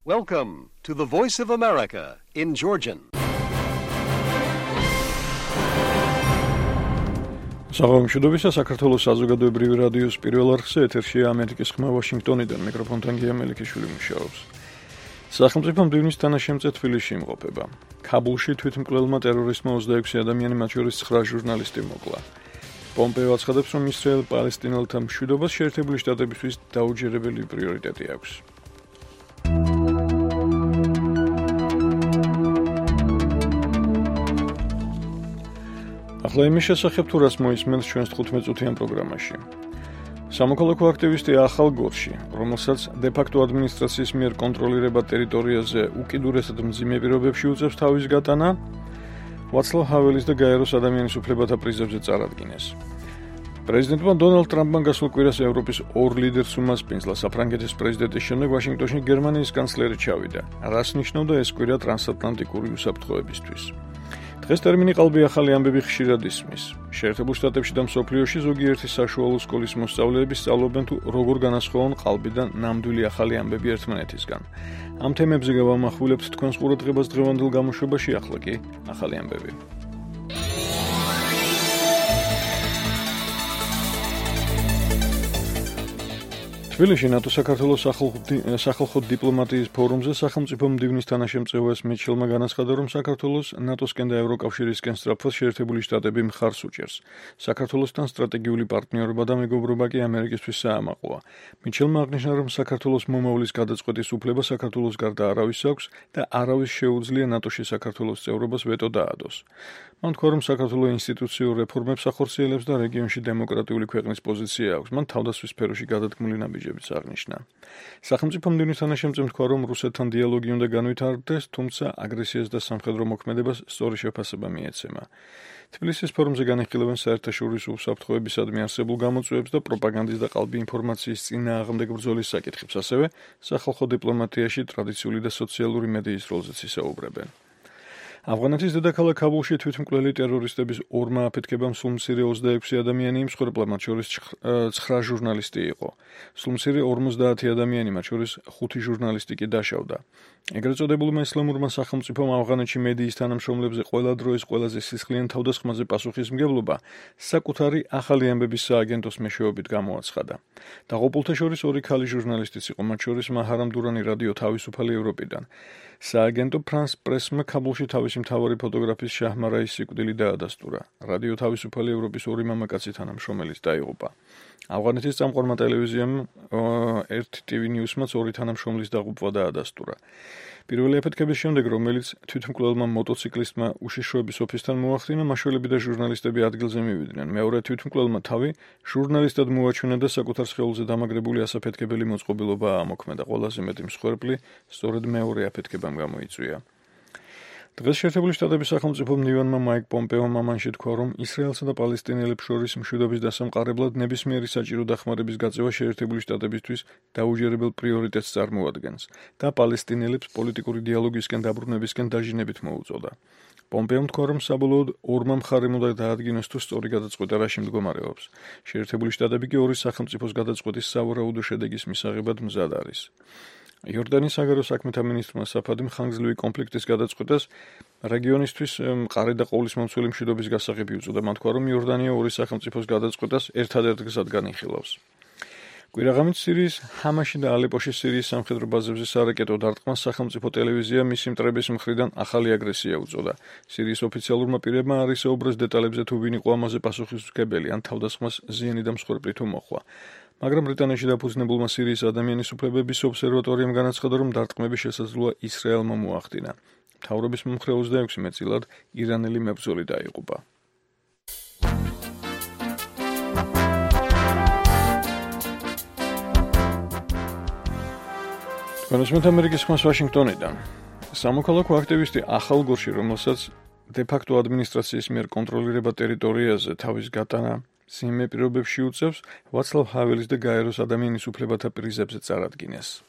Welcome to the Voice of America in Georgian. Საღამოშობისა საქართველოს საზოგადოებრივი რადიოს პირველ არხზე ეთერშია ამერიკის ხმა ვაშინგტონიდან მიკროფონთან გია მელიქიშვილი მუშაობს. სახელმწიფო მდივნის თანაშემწე თბილისში იმყოფება. ქაბულში თვითმკვლელმა ტერორისტმა 26 ადამიანი, მათ შორის 9 ჟურნალისტი მოკლა. პომპეო აცხადებს, რომ ისრაელ-პალესტინელთა მშვიდობას შეერთებული შტატებისთვის დაუჯერებელი პრიორიტეტი აქვს. ახლა იმის შესახებ თუ რას მოისმენთ ჩვენს 15 წუთიან პროგრამაში. სამოქალაქო აქტივისტი ახალ გორში, რომელსაც დე-ფაქტო ადმინისტრაციის მიერ კონტროლირება ტერიტორიაზე უკიდურესად მძიმე პირობებში უწევს თავის გატანა, ვაცლავ ჰაველის და გაეროს ადამიანის უფლებათა პრიზებზე წარადგინეს. პრეზიდენტმა დონალდ ტრამპმა გასულ კვირას ევროპის ორ ლიდერს უმასპინძლა საფრანგეთის პრეზიდენტის შემდეგ ვაშინგტონში გერმანიის კანცლერი ჩავიდა. რას ნიშნავდა ეს კვირა ტრანსატლანტიკური უსაფრთხოებისთვის? დღეს ტერმინი ყალბი ახალი ამბები ხშირად ისმის. შეერთებულ შტატებში და მსოფლიოში ზოგიერთი საშუალო სკოლის მოსწავლეები სწავლობენ თუ როგორ განასხვავონ ყალბი და ნამდვილი ახალი ამბები ერთმანეთისგან. ამ თემებზე გავამახვილებთ თქვენს ყურადღებას დღევანდელ გამოშვებაში, ახლა კი ახალი ამბები. თბილისში ნატო-საქართველოს სახალხო დიპლომატიის ფორუმზე სახელმწიფო მდივნის თანაშემწე მიჩელმა განაცხადა, რომ საქართველოს ნატოსკენ და ევროკავშირისკენ სწრაფად შეერთებული შტატები მხარს უჭერს. საქართველოსთან სტრატეგიული პარტნიორობა და მეგობრობა კი ამერიკისთვის საამაყოა. მიჩელმა აღნიშნა, რომ საქართველოს მომავლის გადაწყვეტის უფლება საქართველოს გარდა არავის აქვს და არავის შეუძლია ნატოში საქართველოს წევრობას ვეტო დაადოს. მან თქვა, რომ საქართველოს ინსტიტუციურ რეფორმებს ახორციელებს და რეგიონში დემოკრატიული ქვეყნის პოზიცია აქვს. მან თავდასხმის სფეროში გადადგმული ნაბიჯებიც აღნიშნა. სახელმწიფო მდივნის თანაშემწემ თქვა, რომ რუსეთთან დიალოგი უნდა განვითარდეს, თუმცა აგრესიას და სამხედრო მოქმედებას სწორი შეფასება მიეცემა. თბილისის ფორუმზე განიხილებენ საერთაშორისო უსაფრთხოებისადმი არსებულ გამოწვევებს და პროპაგანდის და ყალბი ინფორმაციის წინააღმდეგ ბრძოლის საკითხებს, ასევე სახალხო დიპლომატიაში ტრადიციული და სოციალური მედიის როლზეც ისაუბრებენ. ავღანეთის დედაქალაქ ქაბულში თვითმკვლელი ტერორისტების ორმა აფეთქებამ სულმცირე 26 ადამიანი იმსხვერპლა, მათ შორის 9 ჟურნალისტი იყო. სულმცირე 50 ადამიანი, მათ შორის 5 ჟურნალისტი კი დაშავდა. ეგრეთ წოდებულმა ისლამურმა სახელმწიფომ ავღანეთში მედიის თანამშრომლებზე ყველა დროის ყველაზე სისხლიან თავდასხმაზე პასუხისმგებლობა საკუთარი ახალი ამბების სააგენტოს მეშვეობით გამოაცხადა. დაღუპულთა შორის 2 ქალი ჟურნალისტიც იყო, მათ შორის მაჰარამ დურანი რადიო თავისუფალი ევროპიდან. სააგენტო ფრანს პრესმა ქაბულში თავისი მთავარი ფოტოგრაფის შაჰმარაის სიკვდილი დაადასტურა. რადიო თავისუფალი ევროპის 2 მამაკაცი თანამშრომელიც დაიღუპა. ავღანეთის წამყვანმა ტელევიზიამ 1 TV News-მაც 2 თანამშრომლის დაღუპვა დაადასტურა. პირველი აფეთქების შემდეგ, რომელიც თვითმკვლელმა მოტოციკლისტმა უშიშროების ოფისთან მოახდინა, მაშველები და ჟურნალისტები ადგილზე მივიდნენ. მეორე თვითმკვლელმა თავი ჟურნალისტად მოაჩვენა და საკუთარ სხეულზე დამაგრებული ასაფეთქებელი მოწყობილობა აამოქმედა. ყველაზე მეტი მსხვერპლი სწორედ მეორე აფეთქებამ გამოიწვია. დღეს შეერთებული შტატების სახელმწიფო მდივანმა მაიკ პომპეომ ამანში თქვა, რომ ისრაელსა და პალესტინელებს შორის მშვიდობის დასამყარებლად ნებისმიერი საჭირო დახმარების გაწევა შეერთებული შტატებისთვის დაუჯერებელ პრიორიტეტს წარმოადგენს და პალესტინელებს პოლიტიკური დიალოგისკენ დაბრუნებისკენ დაჟინებით მოუწოდა. პომპეომ თქვა, რომ საბოლოოდ ორმა მხარემ უნდა დაადგინოს თუ სწორი გადაწყვეტა რაში მდგომარეობს. შეერთებული შტატები კი ორი სახელმწიფოს გადაწყვეტის სავარაუდო შედეგის მისაღებად მზად არის. იორდანიის საგარეო საქმეთა მინისტრმა საფადიმ ხანგრძლივი კონფლიქტის გადაწყვეტას რეგიონისთვის მყარი და ყოვლისმომცველი მშვიდობის გასაღები უწოდა. მან თქვა, რომ იორდანია ორი სახელმწიფოს გადაწყვეტას ერთადერთ გზად განიხილავს. კვირაღამით სირიის ჰამაში და ალეპოში სირიის სამხედრო ბაზებზე სარაკეტო დარტყმას სახელმწიფო ტელევიზია მისი მტრების მხრიდან ახალი აგრესია უწოდა. სირიის ოფიციალურმა პირებმა არ ისაუბრეს დეტალებზე თუ ვინ იყო ამაზე პასუხისმგებელი, ან თავდასხმას ზიანი და მსხვერპლი თუ მოხდა. მაგრამ ბრიტანეთში დაფუძნებულმა სირიის ადამიანის უფლებების ობსერვატორიამ განაცხადა, რომ დარტყმების შესაძლოა ისრაელმა მოახდინა. მთავრობის მომხრე 26 მეტწილად ირანელი მებრძოლი დაიღუპა. თქვენს ამერიკის ხმას ვაშინგტონიდან. სამოქალაქო აქტივისტი ახალ გორში, რომელსაც დე-ფაქტო ადმინისტრაციის მიერ კონტროლირება ტერიტორიაზე თავის გატანა მძიმე პირობებში უწევს, ვაცლავ ჰაველის და გაეროს ადამიანის უფლებათა პრიზებზე წარადგინეს.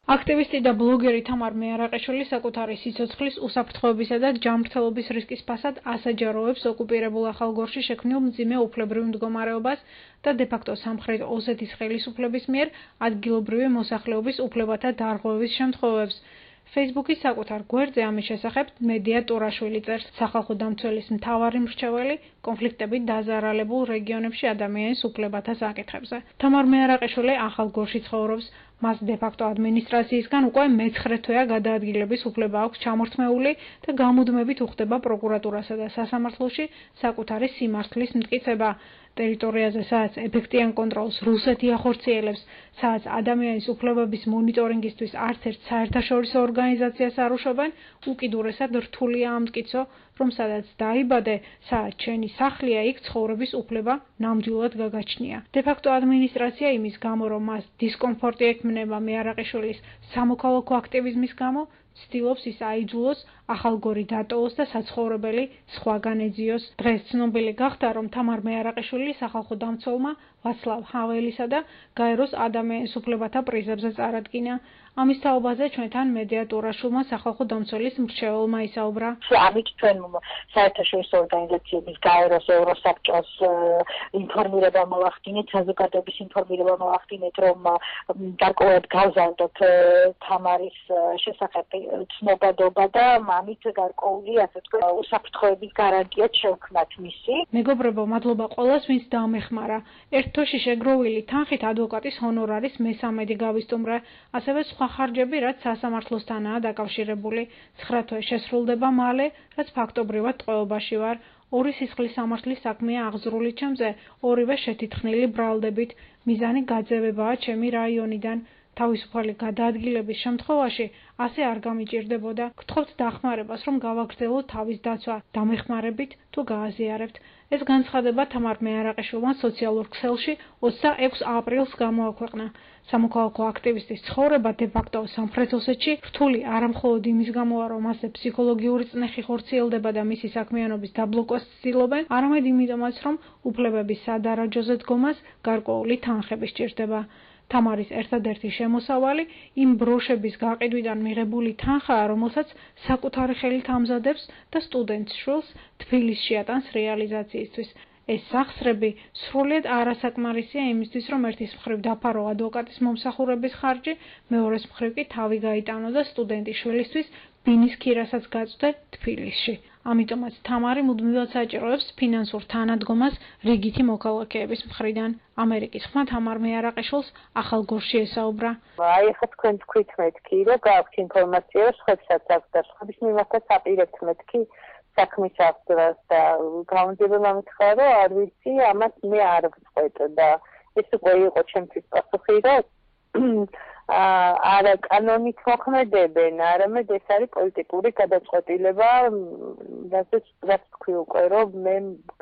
აქტივისტი და ბლოგერი თამარ მეარაყიშვილი საკუთარი სიცოცხლის უსაფრთხოებისა და ჯანმრთელობის რისკის ფასად ასაჯაროებს ოკუპირებულ ახალ გორში შექმნილ მძიმე უფლებრივ მდგომარეობას და დე-ფაქტო სამხრეთ ოსეთის ხელისუფლების მიერ ადგილობრივი მოსახლეობის უფლებათა დარღვევის შემთხვევებს. Facebook-ის საკუთარ გვერდზე ამის შესახებ მედია ტურაშვილი წერს, სახალხო დამცველის მთავარი მრჩეველი კონფლიქტებით დაზარალებულ რეგიონებში ადამიანის უფლებათა საკითხებზე. თამარ მეარაყიშვილი ახალ გორში ცხოვრობს. მას დე-ფაქტო ადმინისტრაციისგან უკვე მე-9 თვეა გადაადგილების უფლება აქვს ჩამორთმეული და გამუდმებით უხდება პროკურატურასა და სასამართლოში საკუთარი სიმართლის მტკიცება. ტერიტორიაზე, სადაც ეფექტიან კონტროლს რუსეთი ახორციელებს, სადაც ადამიანის უფლებების მონიტორინგისთვის არც ერთ საერთაშორისო ორგანიზაციას არ უშვებენ, უკიდურესად რთულია ამტკიცო, რომ სადაც დაიბადე, სადაც შენი სახლია, იქ ცხოვრების უფლება ნამდვილად გაგაჩნია. დე-ფაქტო ადმინისტრაცია იმის გამო, რომ მას დისკომფორტი ექმნება მეარაყიშვილის სამოქალაქო აქტივიზმის გამო, ცდილობს ის აიძულოს, ახალგორი დატოვოს და საცხოვრებელი სხვაგან ეძიოს. დღეს ცნობილი გახდა, რომ თამარ მეარაყიშვილი სახალხო დამცველმა ვაცლავ ჰაველისა და გაეროს ადამიანის უფლებათა პრიზებზე წარადგინა. ამის თაობაზე ჩვენთან მედია ტურაშვილმა სახალხო დამცველის მრჩეველმა ისაუბრა. ამით ჩვენ საერთაშორისო ორგანიზაციების გაეროს, ევროსაბჭოს ინფორმირება მოვახდინეთ, საზოგადოების ინფორმირება მოვახდინეთ, რომ გარკვეულად გავზარდოთ თამარის შესახებ ცნობადობა და ამით გარკვეული, ასე თქვა, უსაფრთხოების გარანტიაც შევქმნათ მისი. მეგობრებო, მადლობა ყველას, ვინც დამეხმარა. ერთ თოში შეგროვილი თანხით ადვოკატის ჰონორარის მე-13 გავისტუმრე, ასევე სხვა ხარჯები, რაც სასამართლოსთანაა დაკავშირებული. 9 თვე შესრულდება მალე, რაც ფაქტობრივად ტყვეობაში ვარ. 2 სისხლის სამართლის საქმეა აღძრული ჩემზე, 2-ვე შეთითხნილი ბრალდებით. მიზანი გაძევებაა ჩემი რაიონიდან. თავისუფალი გადაადგილების შემთხვევაში ასე არ გამიჭირდებოდა. გთხოვთ დახმარებას, რომ გავაგრძელოთ თავის დაცვა, დამეხმარებით თუ გააზიარებთ. ეს განცხადება თამარ მეარაყიშვილმა სოციალურ ქსელში 26 აპრილს გამოაქვეყნა. სამოქალაქო აქტივისტის ცხოვრება დე-ფაქტო სამხრეთ ოსეთში რთული არა მხოლოდ იმის გამოა, რომ მასზე ფსიქოლოგიური წნეხი ხორციელდება და მისი საქმიანობის დაბლოკვას ცდილობენ, არამედ იმიტომაც, რომ უფლებების სადარაჯოზე დგომას გარკვეული თანხები სჭირდება. თამარის ერთადერთი შემოსავალი იმ ბროშების გაყიდვიდან მიღებული თანხაა, რომელსაც საკუთარი ხელით ამზადებს და სტუდენტ შვილს თბილისში ატანს რეალიზაციისთვის. ეს სახსრები სრულიად არასაკმარისია იმისთვის, რომ ერთის მხრივ დაფარო ადვოკატის მომსახურების ხარჯი, მეორეს მხრივ კი თავი გაიტანო და სტუდენტის შვილისთვის ბინის ქირასაც გაწვდე თბილისში. ამიტომაც თამარი მუდმივად საჭიროებს ფინანსურ თანადგომას რიგითი მოქალაქეების მხრიდან. ამერიკის ხმა თამარ მეარაყიშვილს ახალ გორში ესაუბრა. აი ახლა თქვენ თქვით მეთქი, რომ გაქვთ ინფორმაცია, სხვებსაც აქვს და სხვების მიმართაც აპირებთ მეთქი საქმის აღძრას და გამარჯვება მითხრა, რომ არ ვიცი, ამას მე არ ვწყვეტ და ეს უკვე იყო ჩემთვის პასუხი, რომ არა კანონით მოქმედებენ, არამედ ეს არის პოლიტიკური გადაწყვეტილება, რაც თქვი უკვე, რომ მე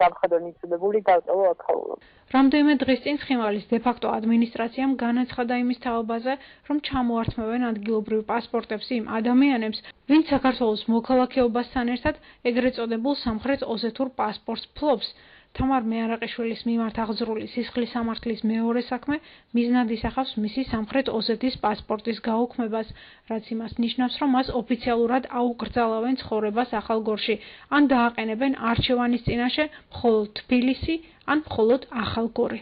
გამხადო მიწოდებული დავწოვო აქაურობ. რამდენიმე დღის წინ ცხინვალის დე-ფაქტო ადმინისტრაციამ განაცხადა იმის თაობაზე, რომ ჩამოართმევენ ადგილობრივ პასპორტებს იმ ადამიანებს, ვინც საქართველოს მოქალაქეობასთან ერთად ეგრეთ წოდებულ სამხრეთ ოსეთურ პასპორტს ფლობს. თამარ მეარაყიშვილის მიმართ აღძრული სისხლის სამართლის მეორე საქმე მიზნად ისახავს მისი სამხრეთ ოსეთის პასპორტის გაუქმებას, რაც იმას ნიშნავს, რომ მას ოფიციალურად აუკრძალავენ ცხოვრებას ახალ გორში, ან დააყენებენ არჩევანის წინაშე მხოლოდ თბილისი, ან მხოლოდ ახალ გორი.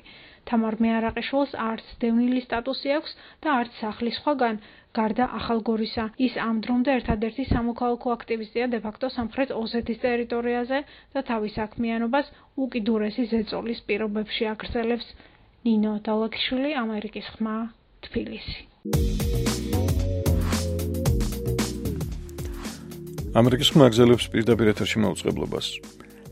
თამარ მეარაყიშვილს არც დევნილი სტატუსი აქვს და არც სახლის სხვაგან, გარდა ახალ გორისა. ის ამ დრომდე ერთადერთი სამოქალაქო აქტივისტია დე-ფაქტო სამხრეთ ოსეთის ტერიტორიაზე და თავის საქმიანობას უკიდურესი ზეწოლის პირობებში აგრძელებს. ნინო დალაქიშვილი, ამერიკის ხმა, თბილისი. ამერიკის ხმა აგრძელებს პირდაპირ ეთერში მაუწყებლობას.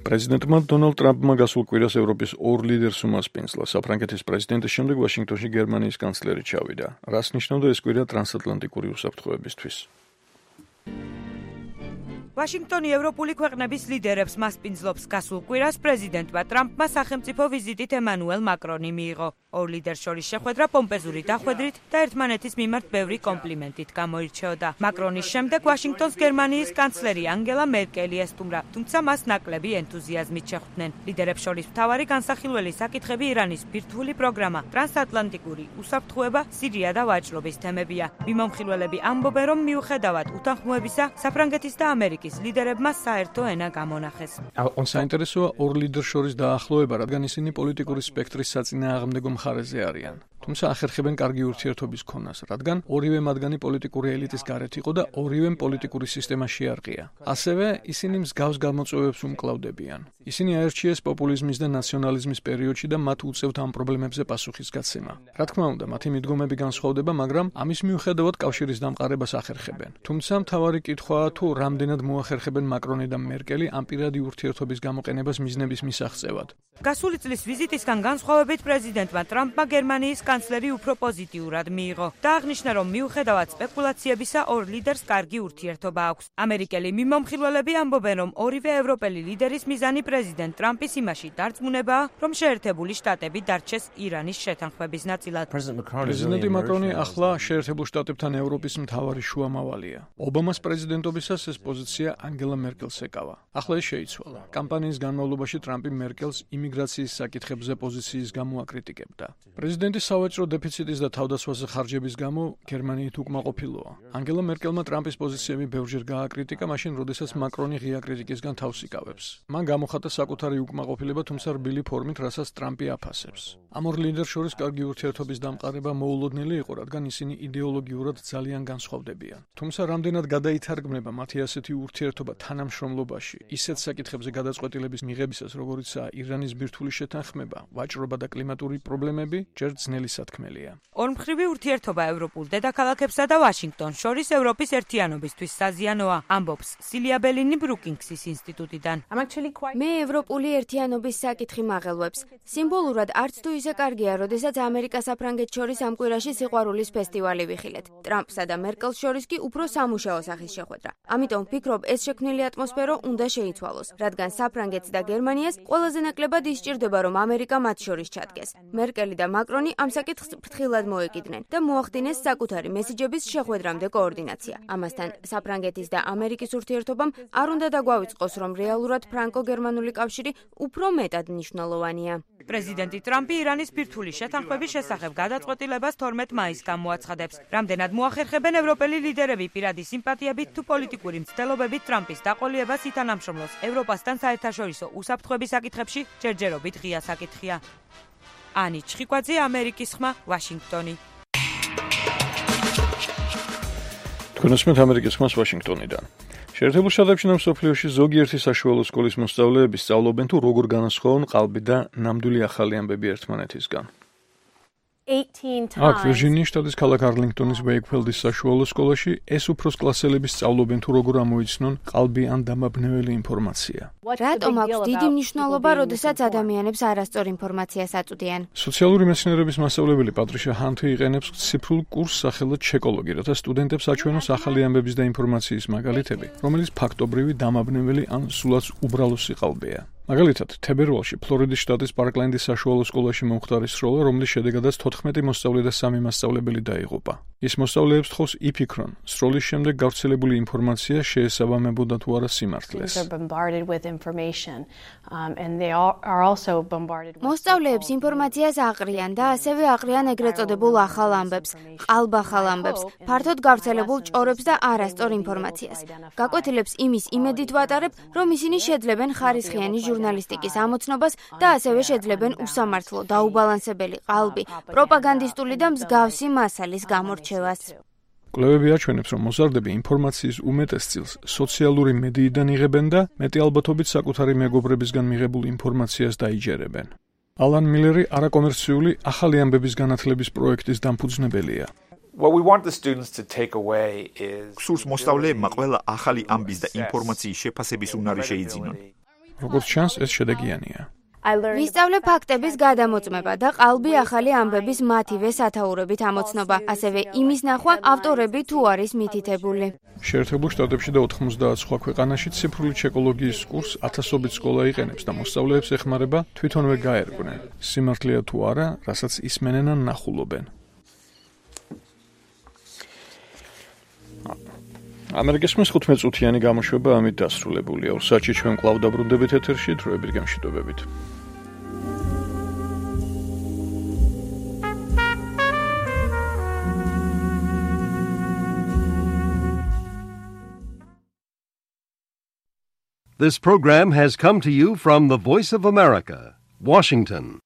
პრეზიდენტმა დონალდ ტრამპმა გასულ კვირას ევროპის 2 ლიდერს უმასპინძლა. საფრანგეთის პრეზიდენტის შემდეგ ვაშინგტონში გერმანიის კანცლერი ჩავიდა. რას ნიშნავდა ეს კვირა ტრანსატლანტიკური უსაფრთხოებისთვის? ვაშინგტონი ევროპული ქვეყნების ლიდერებს მასპინძლობს გასულ კვირას პრეზიდენტმა ტრამპმა სახელმწიფო ვიზიტით ემანუელ მაკრონი მიიღო. ორ ლიდერს შორის შეხვედრა პომპეზური დახვედრით და ერთმანეთის მიმართ ბევრი კომპლიმენტით გამოირჩეოდა. მაკრონის შემდეგ ვაშინგტონს გერმანიის კანცლერი ანგელა მერკელი ესტუმრა, თუმცა მას ნაკლები ენთუზიაზმით შეხვდნენ. ლიდერებს შორის მთავარი განსახილველი საკითხები ირანის ბირთვული პროგრამა, ტრანსატლანტიკური უსაფრთხოება, სირია და ვაჭრობის თემებია. მიმომხილველები ამბობენ, რომ მიუხედავად უთანხმოებისა, საფრანგეთის და ამერიკის ლიდერებმა საერთო ენა გამონახეს. საინტერესოა ორ ლიდერს შორის დაახლოება, რადგან ისინი პოლიტიკური სპექტრის საწინააღმდეგო მხარეზე არიან. თუმცა ახერხებენ კარგი ურთიერთობის ქონას, რადგან ორივე მათგანი პოლიტიკური ელიტის გარეთ იყო და ორივემ პოლიტიკური სისტემა შეარყია. ასევე ისინი მსგავს გამოწვევებს უმკლავდებიან. ისინი აერჩიეს პოპულიზმის და ნაციონალიზმის პერიოდში და მათ უწევთ ამ პრობლემებზე პასუხისგაცემა. რა თქმა უნდა, მათი მიდგომები განსხვავდება, მაგრამ ამის მიუხედავად კავშირის დამყარებას ახერხებენ. თუმცა მთავარი კითხვაა, თუ რამდენად მოახერხებენ მაკრონი და მერკელი ამ პირადი ურთიერთობის გამოყენებას მიზნების მისაღწევად. გასული წლის ვიზიტისგან განსხვავებით პრეზიდენტმა ტრამპმა გერმანიის კანცლერი უფრო პოზიტიურად მიიღო და აღნიშნა, რომ მიუხედავად სპეკულაციებისა ორ ლიდერს კარგი ურთიერთობა აქვს. ამერიკელი მიმომხილველები ამბობენ, რომ ორივე ევროპელი ლიდერის მიზანი პრეზიდენტ ტრამპის იმაში დარწმუნებაა, რომ შეერთებული შტატები დარჩეს ირანის შეთანხმების ნაწილად. პრეზიდენტი მაკრონი ახლა შეერთებულ შტატებთან ევროპის მთავარი შუამავალია. ობამას პრეზიდენტობისას ეს პოზიცია ანგელა მერკელს ეკავა. ახლა ეს შეიცვალა. კამპანიის განმავლობაში ტრამპი მერკელს იმიგრაციის საკითხებზე პოზიციის გამო აკრიტიკებდა. პრეზიდენტის სავაჭრო დეფიციტის და თავდასხმაზე ხარჯების გამო გერმანიით უკმაყოფილოა. ანგელა მერკელმა ტრამპის პოზიციები ბევრჯერ გააკრიტიკა, მაშინ როდესაც მაკრონი ღია კრიტიკისგან თავს იკავებს. მან გამოხატა საკუთარი უკმაყოფილება, თუმცა რბილი ფორმით, რასაც ტრამპი აფასებს. ამ ორ ლიდერს შორის კარგი ურთიერთობის დამყარება მოულოდნელი იყო, რადგან ისინი იდეოლოგიურად ძალიან განსხვავდებიან. თუმცა რამდენად გადაითარგმნება მათი ასეთი ურთიერთობა თანამშრომლობაში, ისეთ საკითხებზე გადაწყვეტილების მიღებისას, როგორიცაა ირანის ბირთვული შეთანხმება, ვაჭრობა და კლიმატური პრობლემები, ჯერ ძნელი სათქმელია. ორმხრივი ურთიერთობა ევროპულ დედაქალაქებსა და ვაშინგტონს შორის ევროპის ერთიანობისთვის საზიანოა, ამბობს სილია ბელინი ბრუკინგსის ინსტიტუტიდან. მე ევროპული ერთიანობის საკითხი მაღელვებს. სიმბოლურად არც თუ ისე კარგია, როდესაც ამერიკა-საფრანგეთს შორის ამ კვირაში სიყვარულის ფესტივალი ვიხილეთ. ტრამპსა და მერკელს შორის კი უფრო სამუშაო სახის შეხვედრა. ამიტომ ვფიქრობ, ეს შექმნილი ატმოსფერო უნდა შეიცვალოს, რადგან საფრანგეთს და გერმანიას ყველაზე ნაკლებად ისჭირდება, რომ ამერიკა მათ შორის ჩადგეს. მერკელი და მაკრონი ამ საკითხს ფრთხილად მოეკიდნენ და მოახდინეს საკუთარი მესიჯების შეხვედრამდე კოორდინაცია. ამასთან საფრანგეთის და ამერიკის ურთიერთობამ არ უნდა დაგვავიწყოს, რომ რეალურად ფრანკო-გერმანული კავშირი უფრო მეტად მნიშვნელოვანია. პრეზიდენტი ტრამპი ირანის ბირთვული შეთანხმების შესახებ გადაწყვეტილებას 12 მაისს გამოაცხადებს. რამდენად მოახერხებენ ევროპელი ლიდერები პირადი სიმპათიებით თუ პოლიტიკური მცდელობებით ტრამპის დაყოლიებას ითანამშრომლოს ევროპასთან საერთაშორისო უსაფრთხოების საკითხებში ჯერჯერობით ღია საკითხია. ანი ჩხიკვაძე, ამერიკის ხმა, ვაშინგტონი. თქვენ უსმენთ ამერიკის ხმას ვაშინგტონიდან. შეერთებულ შტატებში და მსოფლიოში ზოგიერთი საშუალო სკოლის მოსწავლეები სწავლობენ თუ როგორ განასხვავონ ყალბი და ნამდვილი ახალი ამბები ერთმანეთისგან. აქ ვირჯინიის შტატის ქალაქ არლინგტონის ვეიკფელდის საშუალო სკოლაში ეს უფროს კლასელები სწავლობენ თუ როგორ ამოიცნონ ყალბი ან დამაბნეველი ინფორმაცია. რატომ აქვს დიდი მნიშვნელობა, როდესაც ადამიანებს არასწორ ინფორმაციას აწვდიან? სოციალური მეცნიერების მასწავლებელი პატრიშა ჰანთი იყენებს ციფრულ კურსს სახელად ჩეკოლოგი, რათა სტუდენტებს აჩვენოს ახალი ამბების და ინფორმაციის მაგალითები, რომელიც ფაქტობრივი დამაბნეველი ან სულაც უბრალოსი ყალბია. მაგალითად, თებერვალში ფლორიდის შტატის პარკლენდის საშუალო სკოლაში მომხდარი სროლა, რომლის შედეგადაც 14 მოსწავლე და 3 მასწავლებელი დაიღუპა. ის მოსწავლეებს თხოვს იფიქრონ, სროლის შემდეგ გავრცელებული ინფორმაცია შეესაბამებოდა თუ არა სიმართლეს. მოსწავლეებს ინფორმაციას აყრიან და ასევე აყრიან ეგრეთ წოდებულ ახალ ამბებს, ყალბახალ ამბებს, ფართოდ გავრცელებულ ჭორებს და არასწორ ინფორმაციას. გაკვეთილებს იმის იმედით ვატარებ, რომ ისინი შეძლებენ ხარისხიანი ჟურნალისტიკის ამოცნობას და ასევე შეძლებენ უსამართლო, დაუბალანსებელი ყალბი, პროპაგანდისტული და მსგავსი მასალის გამორჩევას. კვლევები აჩვენებს, რომ მოზარდები ინფორმაციის უმეტეს წილს სოციალური მედიიდან იღებენ და მეტი ალბათობით საკუთარი მეგობრებისგან მიღებულ ინფორმაციას დაიჯერებენ. ალან მილერი არაკომერციული ახალი ამბების განათლების პროექტის დამფუძნებელია. სურს მოსწავლეებმა ყველა ახალი ამბის და ინფორმაციის შეფასების უნარი შეიძინონ. როგორც ჩანს, ეს შედეგიანია. ვისწავლე ფაქტების გადამოწმება და ყალბი ახალი ამბების მათივე სათაურებით ამოცნობა, ასევე იმის ნახვა ავტორები თუ არის მითითებული. შეერთებულ შტატებში და 90 სხვა ქვეყანაში ციფრული ჩეკოლოგიის კურსს ათასობით სკოლა იყენებს და მოსწავლეებს ეხმარება თვითონვე გაერკვნენ. სიმართლეა თუ არა, რასაც ისმენენ ან ნახულობენ. ამერიკის 15 წუთიანი გამოშვება ამით დასრულებულია. ორ საათში ჩვენ კვლავ დაბრუნდებით ეთერში, დროებით გამშვიდობებით. This program has come to you from the Voice of America, Washington.